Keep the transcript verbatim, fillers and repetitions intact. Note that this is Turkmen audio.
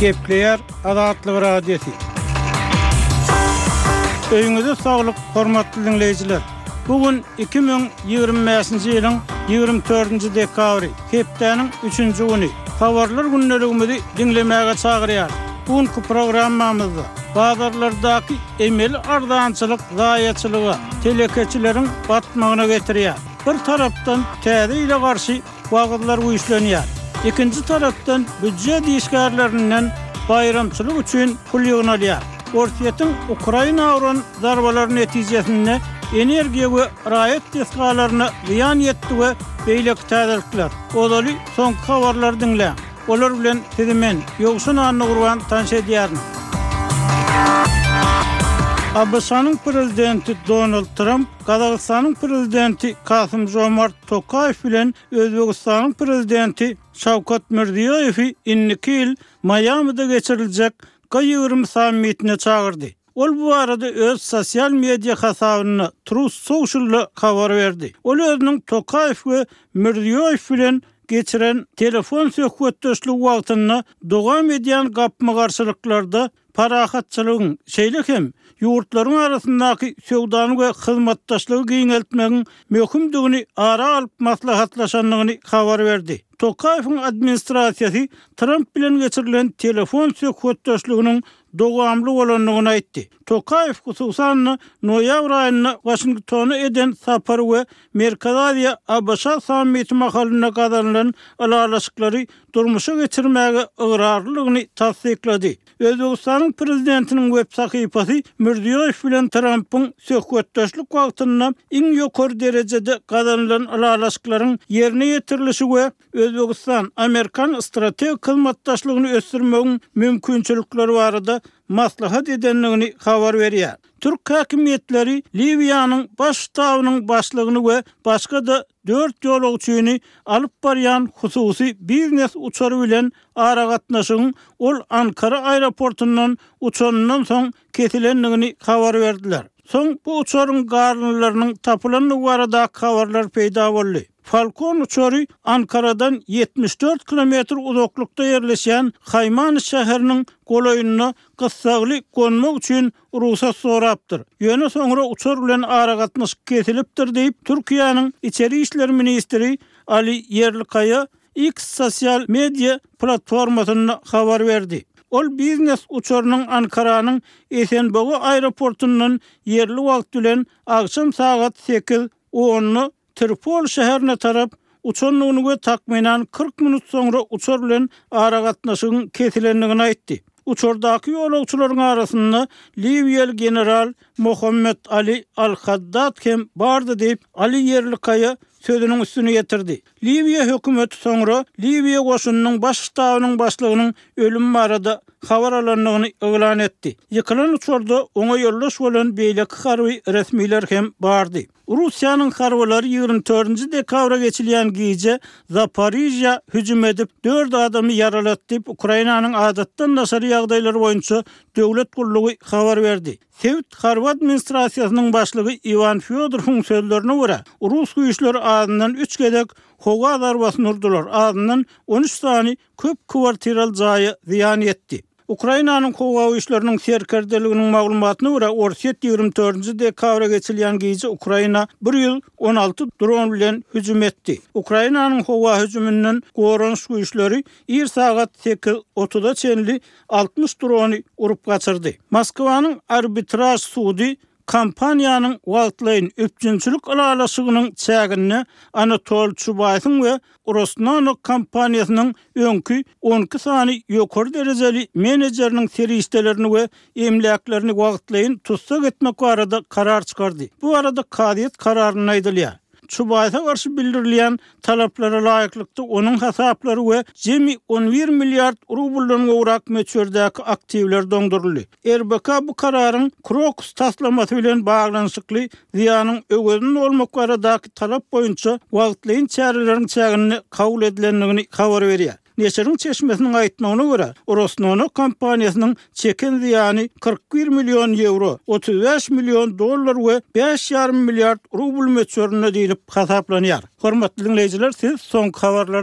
Gepleýär Azatlyk Radiosy. Öýüňize saglyk, hormatly diňleýjiler. Bu gün iki müň ýigrimi bäşinji ýylyň ýigrimi dördünji dekabry, hepdäniň üçünji güni. Habarlar gündeligimizi diňlemäge çagyrýar. Bu günki programmamyzda bazarlardaky emeli arzançylyk zaýaçylyga, telekeçileriň batmagyna getirýär. Bir tarapdan täze ýyla garşy wagyzlar güýçlenýär. Ikinji tarapdan býujet işgärlerinden baýramçylyk üçin pul ýygnalýar. Orsýetiň Ukraina uran zarbalary netijesinde energiýa we raýat desgalaryna zyýan ýetdi we beýleki täzelikler. Ozaly soňky habarlary diňläň. Olar bilen sizi men, Ýowşan Annagurban tanyş edýärin. ABŞ-nyň prezidenti Donald Tramp Gazagystanyň prezidenti Kasym-Žomart Tokaýew bilen Özbegistanyň prezidenti Şawkat Mirziýoýewi indiki ýyl Maýamide geçiriljek G ýigrimi sammitine çagyrdy. Ol bu barada öz sosial media hasabynda Truth Social-da habar berdi. Ol özüniň Tokaýew we Mirziýoýew bilen geçiren telefon söhbetdeşligi wagtynda dowam edýän gapma-garşylyklarda parahatçylygyň, şeýle hem ýurtlaryň arasyndaky söwdany we hyzmatdaşlygy giňeltmegiň möhümdigini ara alyp maslahatlaşandygyny habar berdi. Tokaýewiň administrasiýasy Tramp bilen geçirilen telefon söhbetdeşliginiň dowamly bolandygyny aýtdy. Tokaýew hususan-da noýabr aýynda Waşingtona eden sapary we Merkezi Aziýa ABŞ sammiti mahalynda gazanylan ylalaşyklary durmuşa geçirmäge ygrarlylygyny tassyklady. Özbegistanyň prezidentiniň web sahypasy Mirziýoýew bilen Trampyň söhbetdeşlik wagtynda iň ýokary derejede gazanylan ylalaşyklaryň ýerine ýetirilişi we Özbegistan Amerikan strategik hyzmatdaşlygyny ösdürmegiň mümkinçilikleri barada maslahat edendigini habar berýär. Türk häkimiýetleri Liwiýanyň baş ştabynyň başlygyny we başga-da dört ýolagçyny alyp barýan hususy biznes uçary bilen aragatnaşygyň ol Ankara aeroportundan uçanyndan soň kesilendigini habar berdiler. Soň bu uçaryň galyndylarynyň tapylandygy baradaky habarlar peýda boldy. Falkon uçary Ankaradan ýetmiş dört kilometr uzaklykda ýerleşýän Haýmany şäheriniň golaýynda gyssagly gonmak üçin rugsat sorapdyr. Ýöne soňra uçar bilen aragatnaşyk kesilipdir diýip, Türkiýäniň içeri işler ministri Ali Ýerlikaýa X sosial media platformasynda habar berdi. Ol biznes uçarynyň Ankaranyň Esenboga aeroportundan ýerli wagt bilen agşam sagat sekiz onda Tripol şäherine tarap uçandygyny we takmynan kyrk minut soňra uçar bilen aragatnaşygyň kesilendigini aýtdy. Uçardaky ýolagçylaryň arasynda Liwiýaly general Muhammed Ali Al-Haddad hem bardy diýip, Ali Ýerlikaýa sözüniň üstüni ýetirdi. Liwiýa hökümeti soňra Liwiýa goşunynyň baş ştabynyň başlygynyň ölümi barada habar alandygyny yglan etdi. Ýykylan uçarda oňa ýoldaş bolan beýleki harby resmiler hem bardy. Russiýanyň harbylary ýigrimi dördünji dekabra geçilýän gije Zaporižýa hüjüm edip, dört adamy ýaralatdy diýip, Ukrainanyň adatdan daşary ýagdaýlar boýunça döwlet gullugy habar berdi. Sebit harby administrasiýasynyň başlygy Iwan Fýodorowyň sözlerine görä, rus güýçleri azyndan üç gezek howa zarbasyny urdular, azyndan on üç sany köp kwartiraly jaýa zyýan ýetdi. Ukrainanyň howa güýçleriniň serkerdeliginiň maglumatyna görä, Orsýet ýigrimi dördünji dekabra geçilýän gije Ukraina bir ýüz on alty dron bilen hüjüm etdi. Ukrainanyň howa hüjüminden goranyş güýçleri ir sagat sekiz otuza çenli altmyş drony urup gaçyrdy. Moskwanyň arbitraž sudy kompaniýanyň wagtlaýyn üpjünçilik ylalaşygynyň çäginde Anatol Çubaýsyň we Rosnano kompaniýasynyň öňki on iki sany ýokary derejeli menejeriniň serişdelerini we emläklerini wagtlaýyn tussag etmek barada karar çykardy. Bu barada kazyýet kararynda aýdylýar. Çubaýsa garşy bildirilýän talaplara laýyklykda onuň hasaplary we jemi on bir milliard rubldan gowrak möçberdäki aktiwler doňduryldy. R B K bu kararyň Krokus taslamasy bilen baglanyşykly zyýanyň öwezini dolmak baradaky talap boýunça wagtlaýyn çäreleriň çäginde kabul edilendigini habar berýär. Neşiriň çeşmesiniň aýtmagyna görä, Rosnano kompaniýasynyň çeken zyýany kyrk bir million ýewro, otuz bäş million dollar we bäş ýarym milliard rubl möçberinde diýlip hasaplanýar. Hormatly dinleýjiler, siz soňky habarlary